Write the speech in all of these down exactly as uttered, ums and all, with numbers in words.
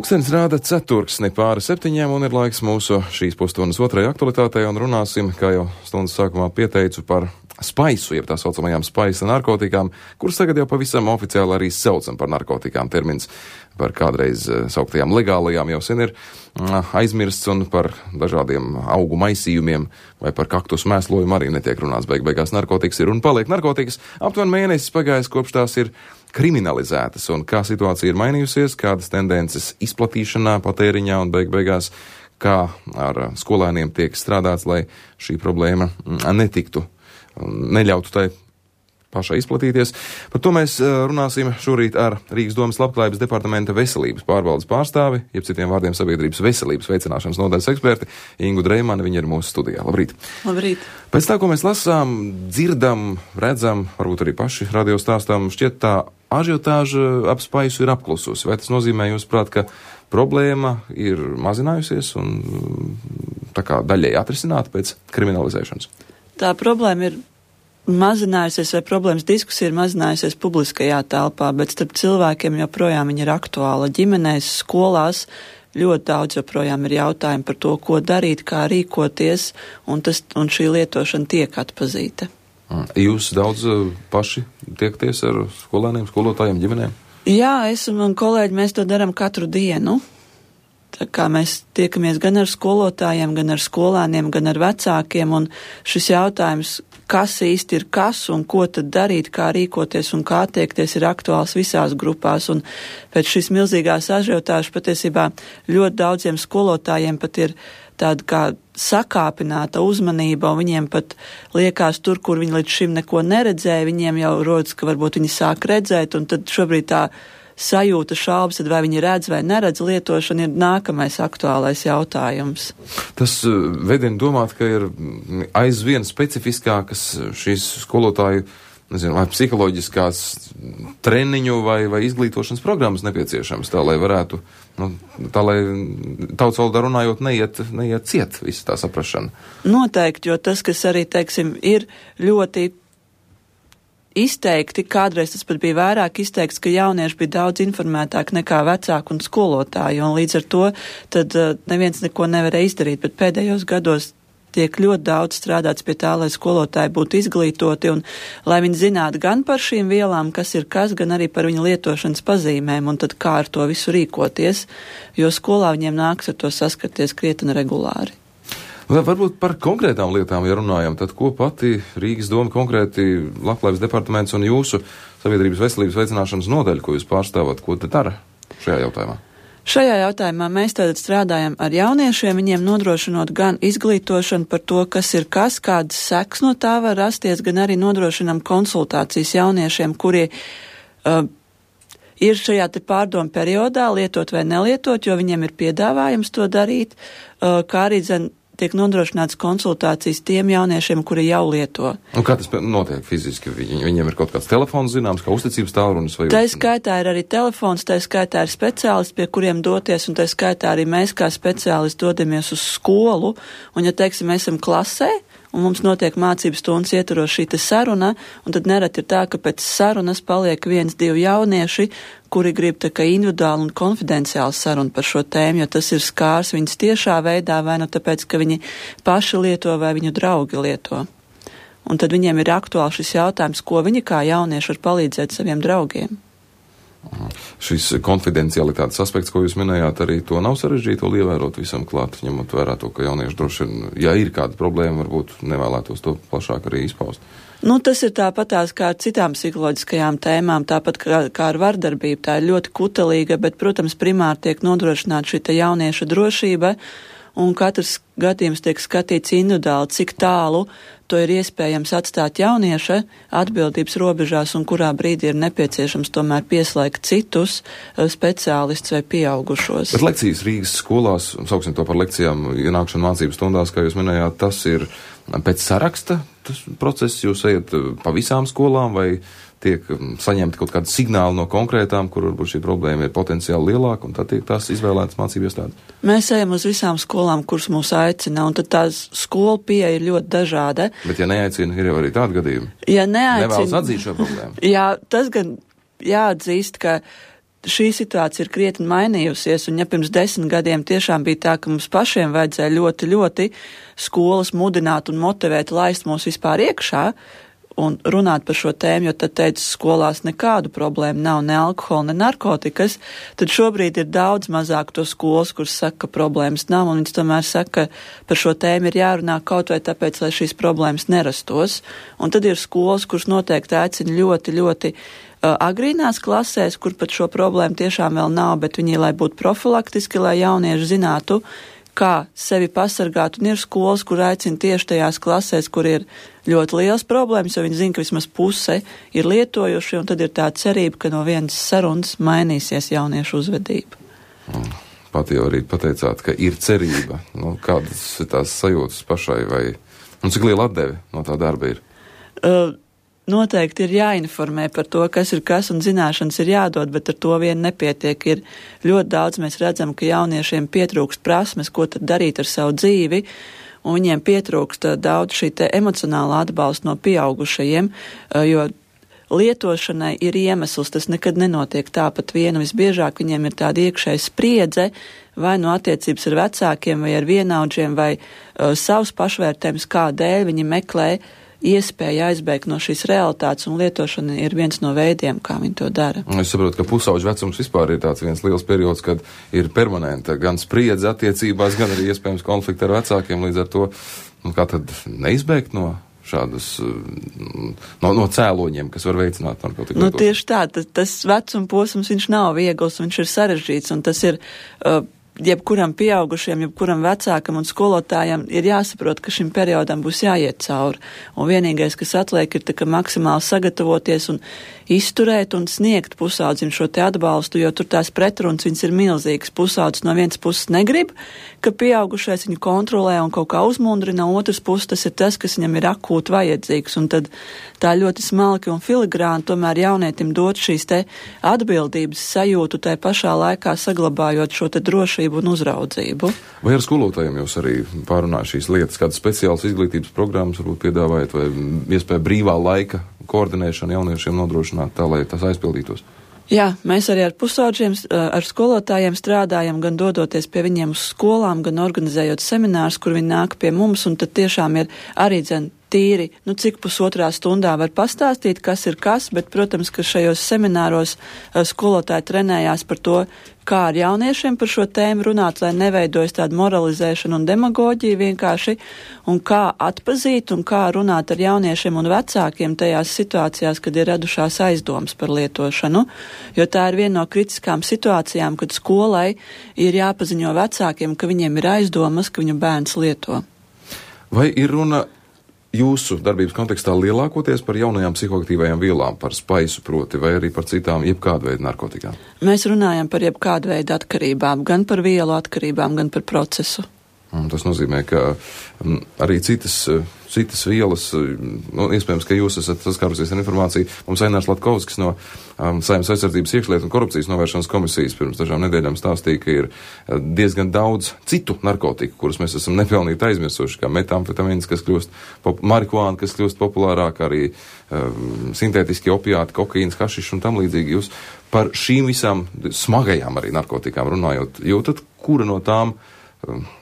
Pulkstenis rāda ceturksni pāri septiņiem un ir laiks mūsu šīs pusstundas otrajai aktualitātei un runāsim, kā jau stundas sākumā pieteicu, par spaisu, jeb tā saucamajām spaisa narkotikām, kuras tagad jau pavisam oficiāli arī saucam par narkotikām. Termins par kādreiz sauktajām legālajām jau sen ir aizmirsts un par dažādiem augu maisījumiem vai par kaktus mēslojumu arī netiek runāts. Beig beigās narkotikas ir un paliek narkotikas. Aptuveni mēnesis pagājis, kopš tās ir kriminalizētas un kā situācija ir mainījusies, kādas tendences izplatīšanā, patēriņā un beig beigās, kā ar skolēniem tiek strādāts, lai šī problēma netiktu un neļautu tai pašai izplatīties. Par to mēs runāsim šorīt ar Rīgas domas labklājības departamenta veselības pārvaldes pārstāvi, jeb citiem vārdiem sabiedrības veselības veicināšanas nodaļas eksperti Ingu Dreimani. Viņa ir mūsu studijā. Labrīt! Labrīt! Pēc tā, ko mēs lasām, dzirdam, redzam, varbūt arī paši radio stāstām, šķiet tā ažiotāža ap spaisu ir apklususi. Vai tas nozīmē, jūsuprāt, ka problēma ir mazinājusies un tā kā daļēji atrisināta pēc kriminalizēšanas? Tā problēma ir mazinājusies, vai problēmas diskusija ir mazinājusies publiskajā telpā, bet starp cilvēkiem joprojām viņa ir aktuāla. Ģimenēs, skolās ļoti daudz joprojām ir jautājumi par to, ko darīt, kā rīkoties, un, tas, un šī lietošana tiek atpazīta. Jūs daudz paši tiekties ar skolēniem, skolotājiem, ģimenēm? Jā, es un man kolēģi, mēs to darām katru dienu. Tā kā mēs tiekamies gan ar skolotājiem, gan ar skolēniem, gan ar vecākiem, un šis jautājums, kas īsti ir kas un ko tad darīt, kā rīkoties un kā attiekties, ir aktuāls visās grupās, un pēc šīs milzīgās ažiotāžas patiesībā ļoti daudziem skolotājiem pat ir tāda kā sakāpināta uzmanība, un viņiem pat liekas tur, kur viņi līdz šim neko neredzēja, viņiem jau rodas, ka varbūt viņi sāk redzēt, un tad šobrīd tā sajūta šaubas, tad vai viņi redz vai neredz lietošanu, ir nākamais aktuālais jautājums. Tas vedina domāt, ka ir aizvien specifiskākas šīs skolotāju, nezinu, vai psiholoģiskās treniņu vai, vai izglītošanas programmas nepieciešams, tā lai varētu, nu, tā lai tautas valodā runājot neiet, neiet ciet visa tā saprašana. Noteikti, jo tas, kas arī, teiksim, ir ļoti izteikti, kādreiz tas pat bija vairāk izteikts, ka jaunieši bija daudz informētāki nekā vecāki un skolotāji, un līdz ar to tad uh, neviens neko nevarēja izdarīt, bet pēdējos gados tiek ļoti daudz strādāts pie tā, lai skolotāji būtu izglītoti un lai viņi zinātu gan par šīm vielām, kas ir kas, gan arī par viņu lietošanas pazīmēm, un tad kā ar to visu rīkoties, jo skolā viņiem nāks ar to saskarties krietni regulāri. Varbūt par konkrētām lietām, ja runājam, tad ko pati Rīgas doma konkrēti labklājības departaments un jūsu sabiedrības veselības veicināšanas nodaļa, ko jūs pārstāvat, ko te dara šajā jautājumā? Šajā jautājumā mēs tātad strādājam ar jauniešiem, viņiem nodrošinot gan izglītošanu par to, kas ir kas, kādas seks no tā var rasties, gan arī nodrošinam konsultācijas jauniešiem, kuri uh, ir šajā te pārdomu periodā lietot vai nelietot, jo viņiem ir piedāvājums to darīt, uh, kā arī dzen tiek nodrošināts konsultācijas tiem jauniešiem, kuri jau lieto. Un kā tas notiek fiziski? Viņi, viņiem ir kaut kāds telefons zināms, kā uzticības tālrunis? Vai... Tā skaitā ir arī telefons, tā skaitā ir speciālisti, pie kuriem doties, un tā skaitā arī mēs kā speciālisti dodamies uz skolu, un ja, teiksim, mēs esam klasē, un mums notiek mācību stundas ietvaros šī te saruna, un tad nereti ir tā, ka pēc sarunas paliek viens, divi jaunieši, kuri grib tā kā individuāli un konfidenciāli sarunu par šo tēmu, jo tas ir skārs viņas tiešā veidā, vai nu tāpēc, ka viņi paši lieto vai viņu draugi lieto. Un tad viņiem ir aktuāli šis jautājums, ko viņi kā jaunieši var palīdzēt saviem draugiem. Šis konfidencialitātes aspekts, ko jūs minējāt, arī to nav sarežģīti to ievērot visam klāt, ņemot vērā to, ka jaunieši droši vien, ja ir kāda problēma, varbūt nevēlētos to plašāk arī izpaust. Nu, tas ir tāpatās kā ar citām psiholoģiskajām tēmām, tāpat kā, kā ar vardarbību. Tā ir ļoti kutelīga, bet, protams, primāri tiek nodrošināta šī te jaunieša drošība, un katrs gadījums tiek skatīts individuāli, cik tālu to ir iespējams atstāt jaunieša atbildības robežās un kurā brīdī ir nepieciešams tomēr pieslēgt citus speciālistus vai pieaugušos. Bet lekcijas Rīgas skolās, sauksim to par lekcijām, ienākšana mācību stundās, kā jūs minējāt, tas ir pēc saraksta tas process, jūs ejat pa visām skolām vai tiek saņemti kaut kādi signāli no konkrētām, kur varbūt šī problēma ir potenciāli lielāka, un tad tiek tās izvēlētas mācību iestādes? Mēs ejam uz visām skolām, kuras mūs aicina, un tad tās skola pieeja ir ļoti dažāda. Bet ja neaicina, ir jau arī tādi gadījumi. Ja neaicina, nevēlas atzīt šo problēmu. Jā, tas gan jāatzīst, ka šī situācija ir krietni mainījusies, un ja pirms desmit gadiem tiešām bija tā, ka mums pašiem vajadzēja ļoti, ļoti skolas mudināt un motivēt, laist mūs vispār iekšā un runāt par šo tēmu, jo tad teica, skolās nekādu problēmu nav, ne alkohola, ne narkotikas, tad šobrīd ir daudz mazāk to skolas, kuras saka, ka problēmas nav, un viņas tomēr saka, ka par šo tēmu ir jārunā kaut vai tāpēc, lai šīs problēmas nerastos. Un tad ir skolas, kuras noteikti aicina ļoti, ļoti uh, agrīnās klasēs, kur pat šo problēmu tiešām vēl nav, bet viņi, lai būtu profilaktiski, lai jaunieši zinātu, kā sevi pasargāt, un ir skolas, kur aicina tieši tajās klasēs, kur ir ļoti liels problēmas, jo viņi zina, ka vismaz puse ir lietojuši, un tad ir tā cerība, ka no vienas sarunas mainīsies jauniešu uzvedība. Mm. Pat jau arī pateicāt, ka ir cerība. Nu, kādas ir tās sajūtas pašai, vai un cik liela atdeve no tā darba ir? Uh, Noteikti ir jāinformē par to, kas ir kas, un zināšanas ir jādod, bet ar to vien nepietiek. Ir ļoti daudz, mēs redzam, ka jauniešiem pietrūkst prasmes, ko tad darīt ar savu dzīvi, un viņiem pietrūkst daudz šī te emocionāla atbalsta no pieaugušajiem, jo lietošanai ir iemesls, tas nekad nenotiek tāpat vienu. Visbiežāk viņiem ir tāda iekšēja spriedze, vai no attiecības ar vecākiem, vai ar vienaudžiem, vai uh, savs pašvērtējums, kādēļ viņi meklē iespēja aizbēgt no šīs realitātes, un lietošana ir viens no veidiem, kā viņi to dara. Es saprotu, ka pusauģu vecums vispār ir tāds viens liels periods, kad ir permanenta gan spriedze attiecībās, gan arī iespējams konflikti ar vecākiem, līdz ar to, nu, kā tad neizbēgt no šādas, no, no cēloņiem, kas var veicināt narkotiku lietošanu? Nu, tieši tā, tas, tas vecuma posms, viņš nav viegls, viņš ir sarežģīts, un tas ir uh, jebkuram pieaugušiem, jebkuram vecākam un skolotājam ir jāsaprot, ka šim periodam būs jāiet cauri. Un vienīgais, kas atliek, ir tā, ka maksimāli sagatavoties un izturēt un sniegt pusaudzim šo te atbalstu, jo tur tās pretrunas viņas ir milzīgas. Pusaudzis no vienas puses negrib, ka pieaugušais viņu kontrolē un kaut kā uzmundrina, no otras puses tas ir tas, kas viņam ir akūti vajadzīgs. Un tad tā ļoti smalki un filigrāni tomēr jaunietim dot šīs te atbildības sajūtu, tai pašā laikā saglabājot šo te drošību un uzraudzību. Vai ar skolotājiem jūs arī pārunājat šīs lietas, kādas speciālas izglītības programmas varbūt piedāvājat, vai iespēja brīvā laika koordinēšanu jauniešiem nodrošināt tā, lai tas aizpildītos? Jā, mēs arī ar pusauģiem, ar skolotājiem strādājam, gan dodoties pie viņiem uz skolām, gan organizējot seminārus, kur viņi nāk pie mums, un tad tiešām ir arī dzen tīri, nu cik pusotrā stundā var pastāstīt, kas ir kas, bet, protams, ka šajos semināros skolotāji trenējās par to, kā ar jauniešiem par šo tēmu runāt, lai neveidojas tāda moralizēšana un demagoģija vienkārši, un kā atpazīt un kā runāt ar jauniešiem un vecākiem tajās situācijās, kad ir radušās aizdomas par lietošanu, jo tā ir viena no kritiskām situācijām, kad skolai ir jāpaziņo vecākiem, ka viņiem ir aizdomas, ka viņu bērns lieto. Vai ir runa jūsu darbības kontekstā lielākoties par jaunajām psihoaktīvajām vielām, par spaisu proti, vai arī par citām jebkādu veidu narkotikām? Mēs runājam par jebkādu veidu atkarībām, gan par vielu atkarībām, gan par procesu. Un tas nozīmē, ka m, arī citas, citas vielas, nu, iespējams, ka jūs esat saskārusies ar informāciju. Mums Ainārs Latkovskis no um, Saeimas aizsardzības iekšlietu un korupcijas novēršanas komisijas pirms dažām nedēļām stāstīja, ka ir diezgan daudz citu narkotiku, kurus mēs esam nepelnīti aizmirsuši, kā metamfetamīns, kas kļūst, pop- marihuāna, kas kļūst populārāk, arī um, sintētiski opiāti, kokaīns, hašišs un tam līdzīgi. Jūs par šīm visām smagajām arī narkotikām runājot, jūtat, kura no tām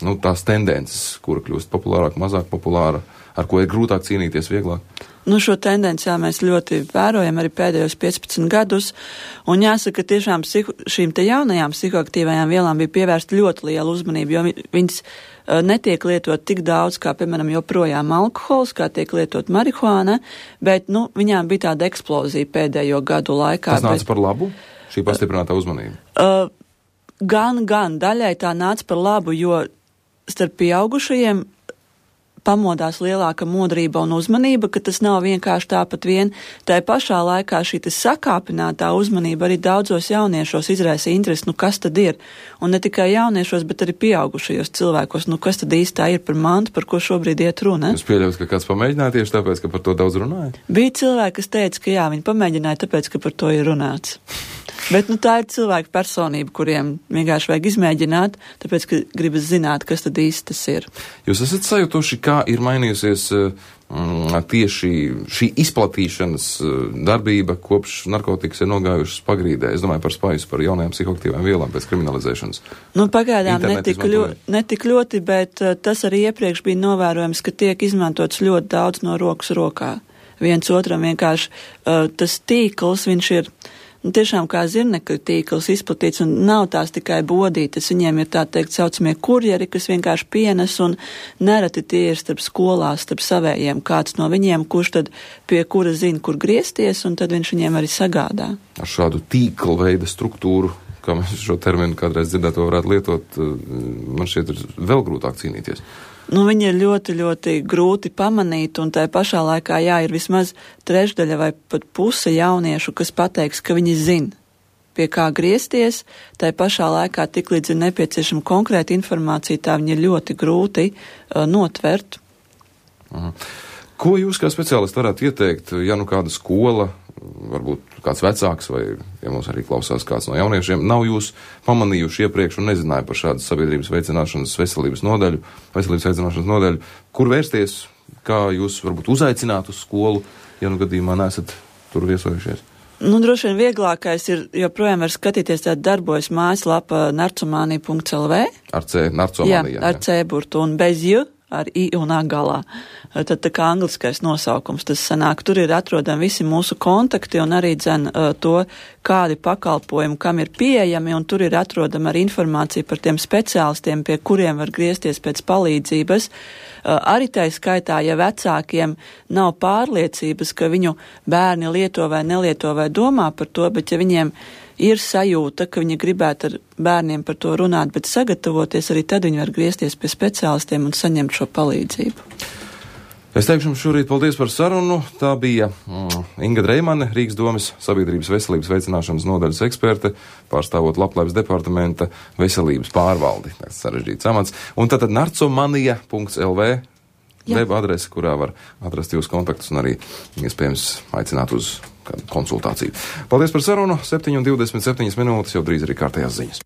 nu, tās tendences, kura kļūst populārāk, mazāk populāra, ar ko ir grūtāk cīnīties vieglāk? Nu, šo tendenci jā, mēs ļoti vērojam arī pēdējos piecpadsmit gadus, un jāsaka, tiešām psiho, šīm te jaunajām psihoaktīvajām vielām bija pievērsta ļoti liela uzmanība, jo viņas uh, netiek lietot tik daudz, kā, piemēram, joprojām alkohols, kā tiek lietot marihuāna, bet, nu, viņām bija tāda eksplozija pēdējo gadu laikā. Tas nāca bet, par labu, šī pastiprinātā uzmanība? Uh, Gan, gan, daļai tā nāca par labu, jo starp pieaugušajiem pamodās lielāka modrība un uzmanība, ka tas nav vienkārši tāpat vien. Tā pašā laikā šī sakāpinātā uzmanība arī daudzos jauniešos izraisa interesi, nu kas tad ir? Un ne tikai jauniešos, bet arī pieaugušajos cilvēkos, nu kas tad īstā ir par mantu, par ko šobrīd iet runa? Jūs pieļaut, ka kāds pamēģināja tieši tāpēc, ka par to daudz runāja? Bija cilvēki, kas teica, ka jā, viņi pamēģināja tāpēc, ka par to ir runāts. Bet, nu, tā ir cilvēka personība, kuriem vienkārši vajag izmēģināt, tāpēc, ka gribas zināt, kas tad īsti tas ir. Jūs esat sajutuši, kā ir mainījusies tieši šī izplatīšanas darbība kopš narkotikas ir nogājušas pagrīdē. Es domāju par spaisu, par jaunajām psihoaktīvām vielām pēc kriminalizēšanas. Nu, pagaidām netik, ļo, netik ļoti, bet uh, tas arī iepriekš bija novērojams, ka tiek izmantots ļoti daudz no rokas rokā. Viens otram vienkārši uh, tas tīkls, viņš ir nu, tiešām kā zirnekļu tīkls izplatīts, un nav tās tikai bodītes, viņiem ir tā teikt saucamie kurjeri, kas vienkārši pienes, un nereti tie ir starp skolās, starp savējiem, kāds no viņiem, kurš tad pie kura zina, kur griezties, un tad viņš viņiem arī sagādā. Ar šādu tīkla veida struktūru, kā mēs šo terminu kādreiz dzirdēto varētu lietot, man šķiet ir vēl grūtāk cīnīties. Nu, viņi ir ļoti, ļoti grūti pamanīt, un tai pašā laikā, jā, ir vismaz trešdaļa vai pat puse jauniešu, kas pateiks, ka viņi zina, pie kā griezties, tai pašā laikā tiklīdz ir nepieciešama konkrēta informācija, tā viņi ir ļoti grūti uh, notvert. Aha. Ko jūs kā speciālisti varētu ieteikt, ja nu kāda skola, varbūt kāds vecāks vai, ja mums arī klausās kāds no jauniešiem, nav jūs pamanījuši iepriekš un nezināja par šādu sabiedrības veicināšanas veselības nodaļu, veselības veicināšanas nodaļu, kur vērsties, kā jūs varbūt uzaicināt uz skolu, ja nu gadījumā neesat tur viesojušies? Nu, droši vien vieglākais ir, joprojām var skatīties, tāda darbojas mājaslapa narcomanija punkts l v. Ar C, narcomanija. Jā, ar C burtu un bez J, ar I un A galā. Tad tā kā angliskais nosaukums tas sanāk. Tur ir atrodami visi mūsu kontakti un arī dzen to, kādi pakalpojumi, kam ir pieejami, un tur ir atrodama arī informācija par tiem speciālistiem, pie kuriem var griezties pēc palīdzības. Arī tai skaitā, ja vecākiem nav pārliecības, ka viņu bērni lieto vai nelieto vai domā par to, bet ja viņiem ir sajūta, ka viņi gribētu ar bērniem par to runāt, bet sagatavoties, arī tad viņi var griezties pie speciālistiem un saņemt šo palīdzību. Es teikšu jums šorīt paldies par sarunu. Tā bija mm, Inga Dreimane, Rīgas domes sabiedrības veselības veicināšanas nodaļas eksperte, pārstāvot Labklājības departamenta veselības pārvaldi. Tas sarežģīts amats. Un tātad narcomanija punkts l v web adrese, kurā var atrast jūsu kontaktus un arī iespējams aicināt uz kādu konsultāciju. Paldies par sarunu. septiņi un divdesmit septiņas minūtes, jau drīz arī kārtējās ziņas.